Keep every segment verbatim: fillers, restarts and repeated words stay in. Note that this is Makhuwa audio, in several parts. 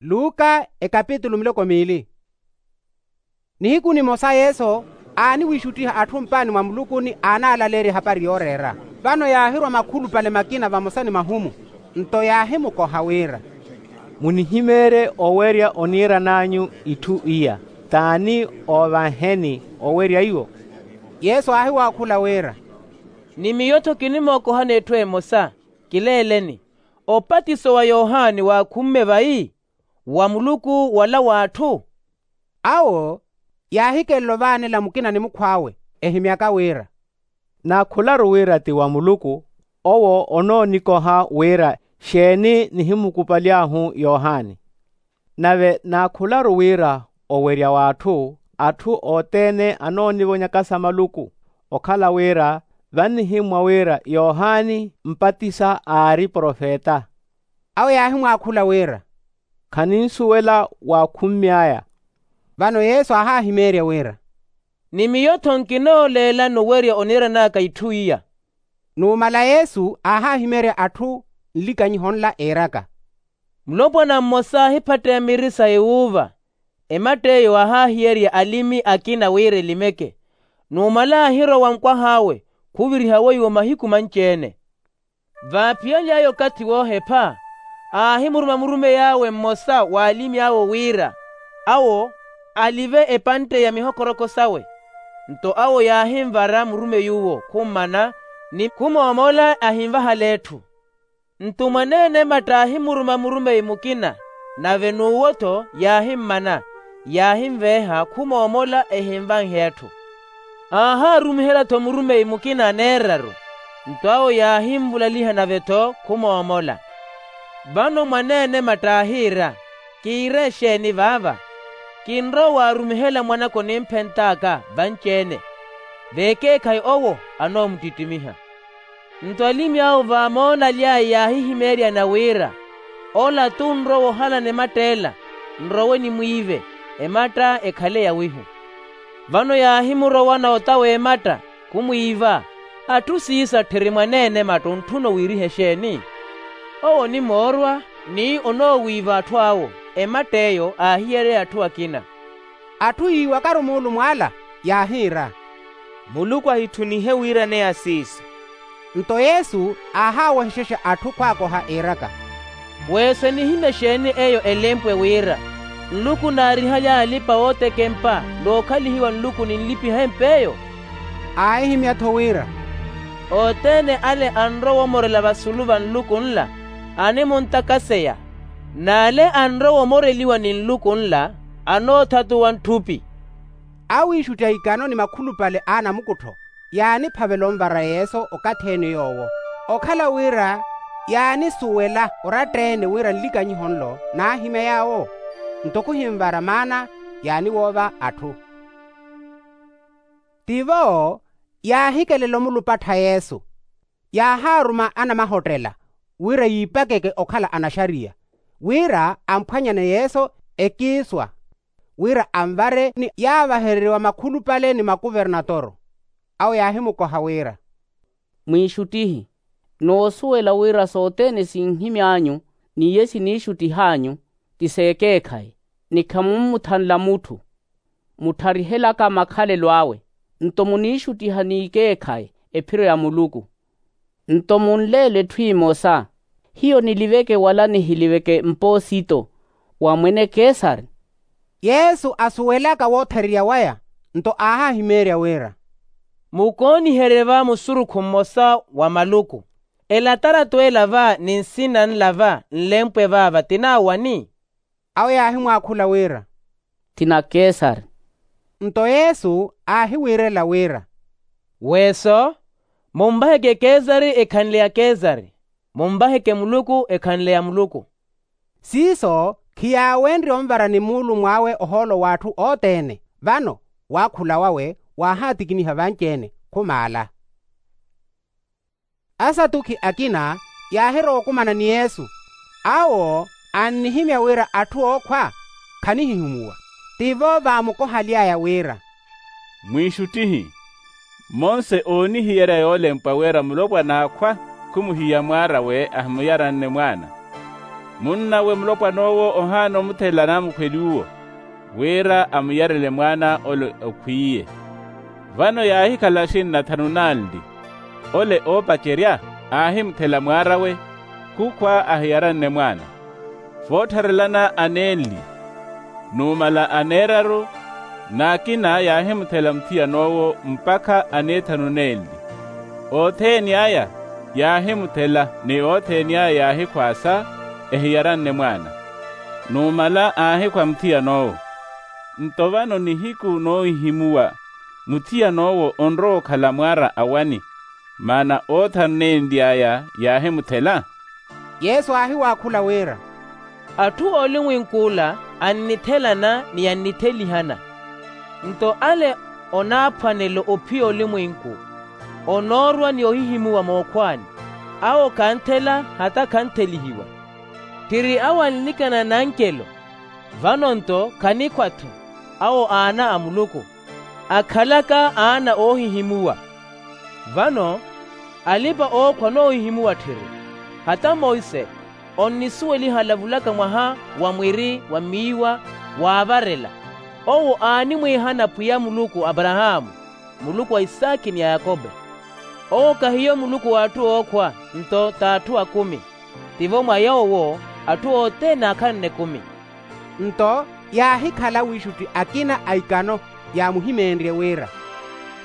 Luka ekapitulu miloko miili. Nihiku nimosa yesu aaniwiixuttiha atthu mpaani mwa muluku ni aanaalaleerya ehapari yooreera. Vano yaahirwa makhulupale makina vamosa ni mahumu, nto yaahimukoha wira, munihimeerye owerya oniiran'anyu itthu iya. T'ani oovaaheni owerya iwo? Yesu aahiwaakhula wira, ni miyo-tho kinimookohani etthu emosa. Kileeleni, opatiso wa yohani waakhumme vayi? Wa muluku wala w'atthu? Awo yaahikelela ovaanela mukina ni mukhw'awe, ehimyaka wira, naakhularu wira ti wa muluku. Owo onoonikoha wira xeeni nihimukupaly'ahu yohani. Nave naakhularu wira owerya w'atthu atthu othene anoonivonyaka sa maluku, okhala wira vannihimmwa wira yohani mpatisa aari profeta. Awo yaahimwaakhula wira, khaninsuwela waakhummy'aya. Vano yesu aahaahimeerya wira, ni miyo-tho nkinooleelani owerya oniiran'aka itthu iya. Numala yesu aahaahimeerya atthu nlikanyiho nla iiraka, mulopwana mmosa aahiphatteya miri sa ewuuva. Ematt'eyo aahaahiyerya alimi akina wira elimeke. Numala aahirowa nkwah'awe khuviriha weiwo mahiku manci-ene. Vaaphiyaly'aya okathi woohepha, aahimuruma murumey'awe mmosa w'alimi awo wira awo alive epantte ya mihokoroko sawe. Nto awo yaahinvara murumey'uwo khummana ni khumoomola ahinvahala etthu. Nto mwaneene ematta aahimuruma murumeyi mukina, nave n'uwo-tho yaahimmana, yaahinveeha khumoomola ehinvanhe etthu. Aahaarumihela-tho murumeyi mukina aneeraru, nto awo yaahinvulaliha nave-tho khumoomola. Vano mwaneene ematta aahiira, kiire exeeni vaava? Kinrowa waarumihela mwanaka onimphent'aka vanci-ene, veekeekhayi owo anoomuttittimiha. Nto alimi awo vaamoonaly'aya yaahihimeeryana wira, ola t'unrowa ohalana ematt'ela, nrowe nimwiive, ematta ekhale yawihu. Vano yaahimurowana ota w'ematta khumwiiva. Atthu siiso atthiri mwaneene ematta ontthuna owiiriha exeeni? Owo onimoorwa ni onoowiiva atthu awo. Ematt'eyo aahiyereya atthu akina. Atthu yiiwakaru muulumw'ala yaahiira, muluku ahitthunihe wiiraneya siiso. Nto yesu aahaawohexexa atthu khwaakoha iiraka, weeso enihimya exeeni eyo elempwe wira, nluku naarihaly'aya alipa-ootekempa n'okhalihiwa nluku ninlipiha emp'eyo? Aahihimya-tho wira, othene ale anrowa omorela vasulu va nluku nla, animuntakaseya, n'ale anrowa omoreliwa ni nluku nla, anoothatuwa ntthupi. Awiixutti a ikano ni makhulupale a anamukuttho yaaniphavela onvara yesu okathi-ene yoowo, okhala wira yaanisuwela oratta-ene wira nlikanyiho nlo naahimya yaawo. Nto khuhinvara maana yaaniwoova atthu. Tivo yaahikelela omulupattha yesu, yaahaaruma anamahottela wira yiipakeke okhala anaxariya, wira amphwanyane yesu ekiiswa, wira anvare ni yaavahereriwa makhulupale ni makuvernatoro. Awo yaahimukoha wira, mwiixuttihi, noosuwela wira sothene sinhimy'anyu n'iye siniixuttih'anyu ti s'ekeekhayi, ni khamummuthanla mutthu. Muttharihelaka makhalelo awe, nto muniixuttiha n'ikeekhayi ephiro ya muluku. Nto munleele etthu emosa, hiyo niliveke wala nihiliveke mpoosito wa mwene kesari? Yesu asuwelaka woothererya waya, nto aahahimeerya wira, mukooniherye va musurukhu mmosa wa maluku, elataratu ela va ni nsina nla va nlempwe vaava ti naawani? Awo yaahimwaakhula wira, ti na kesari. Nto yesu aahiwiirela wira, weeso, munvaheke kesari ekhanle ya kesari, munvaheke muluku ekhanle ya muluku. Siiso khiyaawenrye onvara ni muulumw'awe ohoolo w'atthu othene. Vano waakhula wawe waahaatikiniha vanci-ene khumaala. Asatukhi akina yaahirowa okumana ni yesu, awo annihimya wira atthu ookhwa khanihihumuwa. Tivo vaamukohaly'aya wira, mwiixuttihi, monse oonihiyerya yoolempwa wira mulopwana aakhwa khumuhiya mwaar'awe ahimuyaranne mwaana. Munn'awe mulopwan'owo ohaana omuthela namukhweli uwo, wira amuyarele mwaana ole okhwiiye. Vano yaahikhala axinna thanu nanli. Ole oopacerya aahimuthela mwaar'awe, khukhwa ahiyaranne mwaana. Voottharelana aneenli, numala aneeraru, n'akina yaahimuthela muthiyan'owo mpakha aneethanu nenli. Othene aya yaahimuthela ni othene aya yaahikhwaasa, ehiyaranne mwaana. Numala aahikhwa muthiyan'owo. Nto vano nihiku noohihimuwa, muthiyan'owo onrowa okhala mwaara awani, maana othanu nenli aya yaahimuthela. Yesu aahiwaakhula wira, atthu oolimwenk'ula annithelana ni annithelihana. Nto ale onaaphwanelo ophiya olimwenku, onoorwa ni ohihimuwa mookhwaani, awo khanthela hata khanthelihiwa. Tthiri awo anlikana n'ancelo, vano-nto khanikhwa-tho, awo aana a muluku, akhalaka aana oohihimuwa. Vano alipa-ookhwa noohihimuwa tthiri. Hata monse onnisuweliha alavulaka mwaha wa mwiri wa miiwa waavarela, owo aanimwiihana pwiya muluku a aparahaamu, muluku a isaakhi ni a yakope. Owo khahiyo muluku w'atthu ookhwa, nto t'atthu akumi. Tivo mwa yoowo atthu othene aakhanne ekumi. Nto yaahikhala wiixutti akina a ikano, yaamuhimeenrye wira,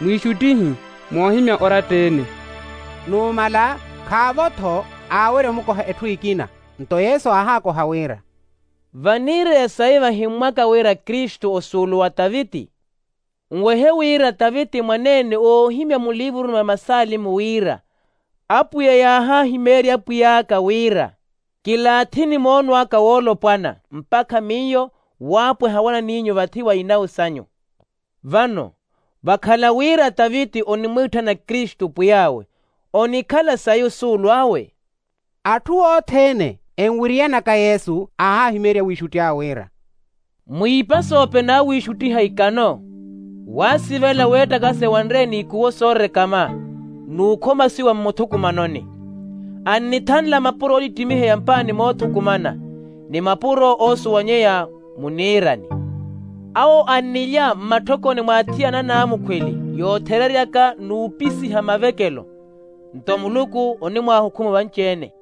mwiixuttihi moohimya oratta-ene. Numala khaavo-tho aawerya omukoha etthu ekina. Nto yesu aahaakoha wira, vaniireya sayi vahimmwaka wira kristu osuulu wa taviti? Nwehe wira taviti mwaneene oohimya muliivuruni mwa masaalimu wira, apwiya yaahahimeerya apwiy'aka wira, kilaathini moono aka woolopwana mpakha miyo waapweha wana n'inyu vathi wa inawu sanyu. Vano vakhala wira taviti onimwiitthana kristu pwiy'awe, onikhala sayi osuulu awe? Atthu othene enwiriyanaka yesu aahahimeerya wiixutti awe wira, mwiipa soope naawiixuttiha ikano, waasivela weettakase wanre n'ikuwo soorekama n'ukhomasiwa mmuthukumanoni. Annithanla mapuro oolittimiheya mpaani moothukumana, ni mapuro oosuwanyeya muniirani. Awo annilya mmatthokoni mwa athiyana anaamukhweli yoothereryaka n'upisiha mavekelo. Nto muluku onimwaahukhumu vanci-ene.